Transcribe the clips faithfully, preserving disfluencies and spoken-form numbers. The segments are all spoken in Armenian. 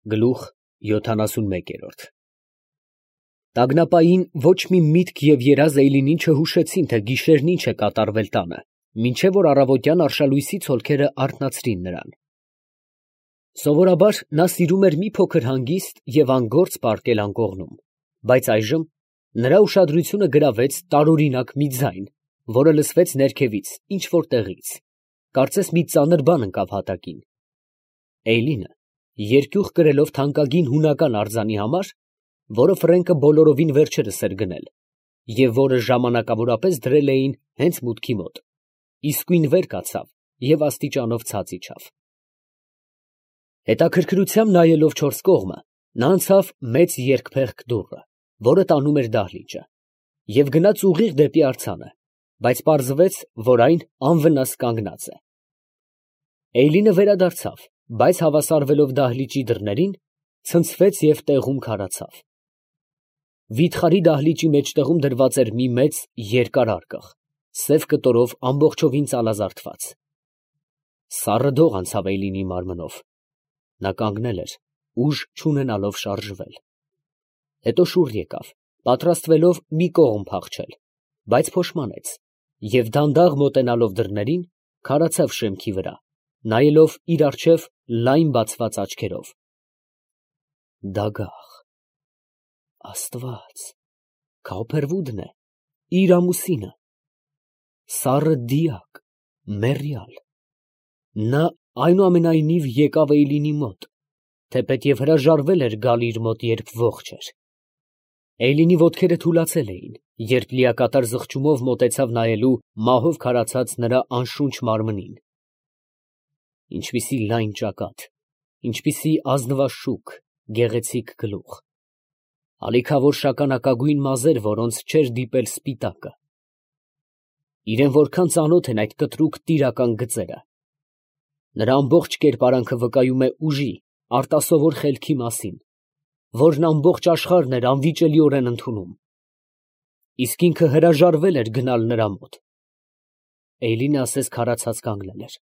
Գլուխ յոթանասունմեկ։ Տագնապային ոչ մի միտք և երազ Էյլինին չհուշեցին, թե գիշերն ինչ է կատարվել տանը, մինչև որ առավոտյան արշալույսի ցոլքերը արթնացրին նրան։ Սովորաբար նա սիրում էր մի փոքր հանգիստ և անգործ պառկել անկողնում, բայց այժմ նրա ուշադրությունը գրավեց տարօրինակ մի ձայն, որը լսվեց ներքևից ինչ֊որ տեղից, կարծես մի ծանր բան ընկավ հատակին։ Էյլինը, երկյուղ կրելով թանկագին հունական արձանի համար, որը Ֆրենկը բոլորովին վերջերս էր գնել, և որը ժամանակավորապես դրել էին հենց մուտքի մոտ, իսկույն վեր կացավ և աստիճանով ցած իջավ։ Հետաքրքրությամբ նայելով չորս կողմը, նա անցավ մեծ երկփեղկ դուռը, որը տանում էր դահլիճը, և գնաց ուղիղ դեպի արձանը, բայց պարզվեց, որ այն անվնաս կանգնած է։ Էյլինը վերադարձավ, բայց հավասարվելով դահլիճի դռներին, ցնցվեց և տեղում քարացավ։ Վիթխարի դահլիճի մեջտեղում դրված էր մի մեծ, երկար արկղ, սև կտորով ամբողջովին ծալազարդված։ Սառը դող անցավ Էյլինի մարմնով. նա կանգնել էր, ուժ չունենալով շարժվել։ Հետո շուռ եկավ, պատրաստվելով մի կողմ փախչել, բայց փոշմանեց և դանդաղ մոտենալով դռներին, քարացավ շեմքի վրա, նայելով իր առջև լայն բացված աչքերով։ Դագաղ… Աստված… Քավոփերվուդն է, իր ամուսինը… Սառը դիակ… մեռյալ… նա այնուամենայնիվ եկավ Էյլինի մոտ, թեպետ և հրաժարվել էր գալ իր մոտ, երբ ողջ էր։ Էյլինի ոտքերը թուլացել էին, երբ լիակատար զղջումով մոտեցավ նայելու մահով քարացած նրա անշունչ մարմնին… Ինչպիսի լայն ճակատ… ինչպիսի ազնվաշուք, գեղեցիկ գլուխ… ալիքավոր շագանակագույն մազեր, որոնց չէր դիպել սպիտակը… Իրան որքան ծանոթ են այդ կտրուկ տիրական գծերը… Նրա ամբողջ կերպարանքը վկայում է ուժի, արտասովոր խելքի մասին, որն ամբողջ աշխարհն էր անվիճելիորեն ընդունում… Իսկ ինքը հրաժարվել էր գնալ նրա մոտ… Էյլինը ասես քարացած կանգնել էր…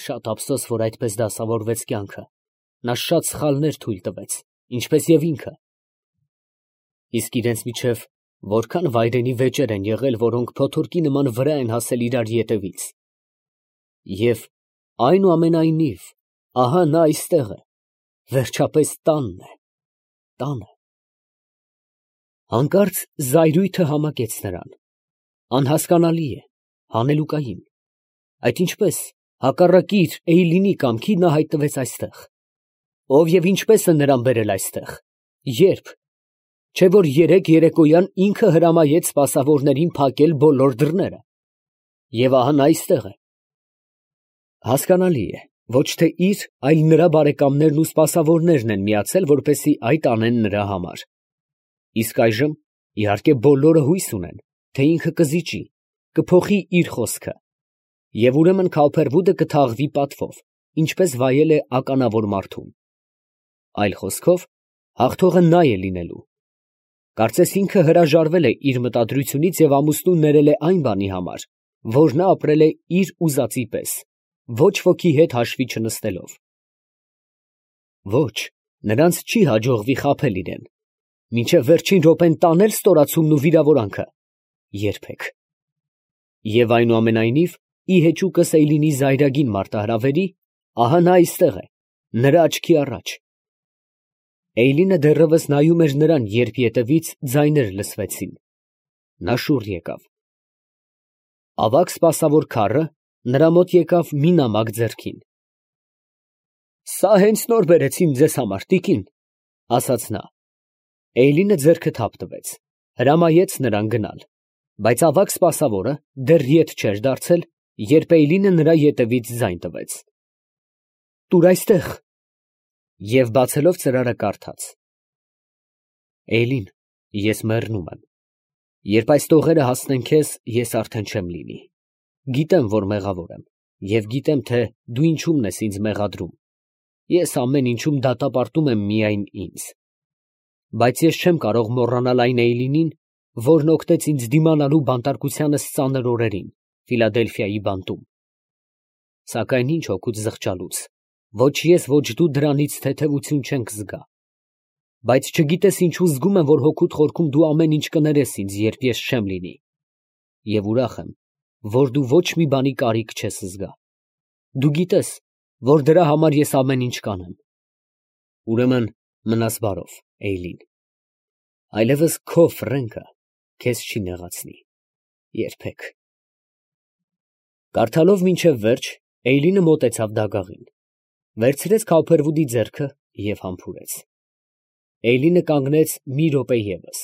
Շատ ափսոս, որ այդպես դասավորվեց կյանքը, նա շատ սխալներ թույլ տվեց, ինչպես և ինքը… Իսկ իրանց միջև որքա՜ն վայրենի վեճեր են եղել, որոնք փոթորկի նման վրա են հասել իրար ետևից… Եվ, այնուամենայնիվ, ահա նա այստեղ է, վերջապես տանն է… տանը… Հանկարծ զայրույթը համակեց նրան… Անհասկանալի է, հանելուկային… Այդ ինչպե՞ս, հակառակի իր Էյլինի կամքի, նա հայտնվեց այստեղ… Ով և ինչպե՞ս է նրան բերել այստեղ… ե՞րբ… Չէ՞ որ երեկ երեկոյան ինքը հրամայեց սպասավորներին փակել բոլոր դռները… Եվ ահա նա այստեղ է… Հասկանալի է, ոչ թե իր, այլ նրա բարեկամներն ու սպասավորներն են միացել, որպեսզի այդ անեն նրա համար… Իսկ այժմ, իհարկե, բոլորը հույս ունեն, թե ինքը կզիջի, կփոխի իր խոսքը… Եվ ուրեմն Քավոփերվուդը կթաղվի պատվով, ինչպես վայել է ականավոր մարդուն… Այլ խոսքով, հաղթողը նա է լինելու… Կարծես ինքը հրաժարվել է իր մտադրությունից և ամուսնուն ներել է այն բանի համար, որ նա ապրել է իր ուզածի պես, ոչ ոքի հետ հաշվի չնստելով… Ոչ, նրանց չի հաջողվի խաբել իրան… Մինչև վերջին րոպեն տանե՞լ ստորացումն ու վիրավորանքը… Երբեք… Եվ այնուամենայնիվ, ի հեճուկս Էյլինի զայրագին մարտահրավերի, ահա նա այստեղ է, նրա աչքի առաջ… Էյլինը դեռևս նայում էր նրան, երբ ետևից ձայներ լսվեցին… Նա շուռ եկավ… Ավագ սպասավոր քառը նրա մոտ եկավ մի նամակ ձեռքին… ֊ Սա հենց նոր բերեցին ձեզ համար, տիկին, ֊ ասաց նա… Էյլինը ձեռքը թափ տվեց, հրամայեց նրան գնալ, բայց ավագ սպասավորը դեռ ետ չէր դարձել, երբ Էյլինը նրա ետևից ձայն տվեց. ֊ Տուր այստեղ… և բացելով ծրարը, կարդաց. Էյլին, ես մեռնում եմ… Երբ այս տողերը հասնեն քեզ, ես արդեն չեմ լինի… Գիտեմ, որ մեղավոր եմ և գիտեմ, թե դու ինչումն ես ինձ մեղադրում… Ես ամեն ինչում դատապարտում եմ միայն ինձ… Բայց ես չեմ կարող մոռանալ այն Էյլինին, որն օգնեց ինձ դիմանալու բանտարկությանս ծանր օրերին, Ֆիլադելֆիայի բանտում… Սակայն ի՞նչ օգուտ զղջալուց… Ոչ ես, ոչ դու դրանից թեթևություն չենք զգա, բայց չգիտես ինչու զգում եմ, որ հոգուդ խորքում դու ամեն ինչ կներես ինձ, երբ ես չեմ լինի, և ուրախ եմ, որ դու ոչ մի բանի կարիք չես զգա, դու գիտես, որ դրա համար ես ամեն ինչ կանեմ, ուրեմն մնաս բարով, Էյլին, այլևս քո ֆրենկը քեզ չի նեղացնի, երբեք։ Կարդալով մինչև վերջ, Էյլինը մոտեցավ դագաղին, վերցրեց Քոփերվուդի ձեռքը և համբուրեց։ Էյլինը կանգնեց մի րոպե ևս,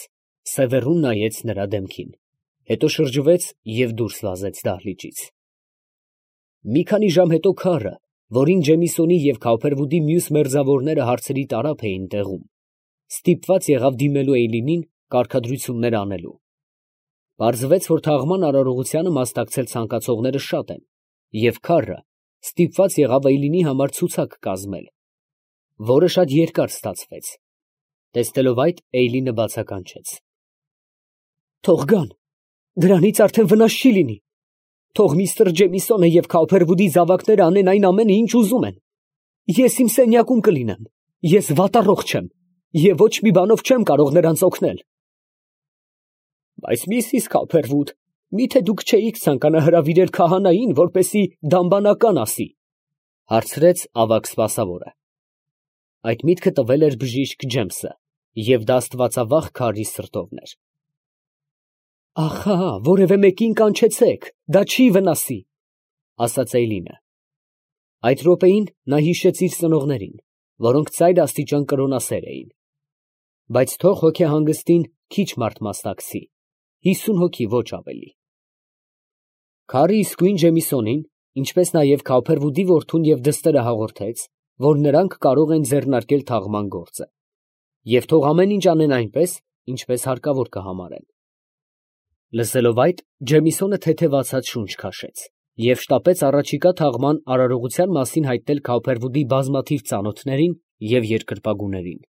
սևեռուն նայեց նրա դեմքին, հետո շրջվեց և դուրս վազեց դահլիճից։ Մի քանի ժամ հետո քարը, որին Ջեմիսոնի և Քոփերվուդի մյուս մերձավորները հարցերի տարափ էին տեղում, ստիպված եղավ դիմելու Էյլինին կարգադրություններ անելու։ Պարզվեց, որ թաղման արարողությանը մասնակցել ցանկացողները շատ են, և քարը ստիպված եղավ Էյլինի համար ցուցակ կազմել, որը շատ երկար ստացվեց։ Տեսնելով այդ, Էյլինը բացականչեց. «Թող գան, դրանից արդեն վնաս չի լինի, թող միստր Ջեմիսոնը և Քոփերվուդի զավակները անեն այն ամենը, ինչ ուզում են, ես իմ սենյակում կլինեմ, ես վատառողջ չեմ և ոչ մի բանով չեմ կարող նրանց օգնել»։ «Բայց միսիս Քոփերվուդ, մի՞թե դուք չէիք ցանկանա հրավիրել քահանային, որպեսզի դամբանական ասի, ֊ հարցրեց ավագ սպասավորը։ Այդ միտքը տվել էր բժիշկ Ջեմսը, և դա աստվածավախ քարի սրտովն էր։ «Ախա, որևէ մեկին կանչեցեք, դա չի վնասի, ֊ ասաց Էյլինը։ Այդ րոպեին նա հիշեց իր ծնողներին, որոնք ծայր աստիճան կրոնասեր էին։ Բայց թող հոգեհանգստին քիչ մարդ մասնակցի, հիսուն հոգի, ոչ ավելի։ Քարը իսկույն Ջեմիսոնին, ինչպես նաև Քոփերվուդի որդուն և դստերը հաղորդեց, որ նրանք կարող են ձեռնարկել թաղման գործը, և թող ամեն ինչ անեն այնպես, ինչպես հարկավոր կհամարեն։ Լսելով այդ, Ջեմիսոնը թեթևացած շունչ քաշեց և շտապեց առաջիկա թաղման արարողության մասին հայտնել Քոփերվուդի բազմաթիվ ծանոթներին և երկրպագուներին։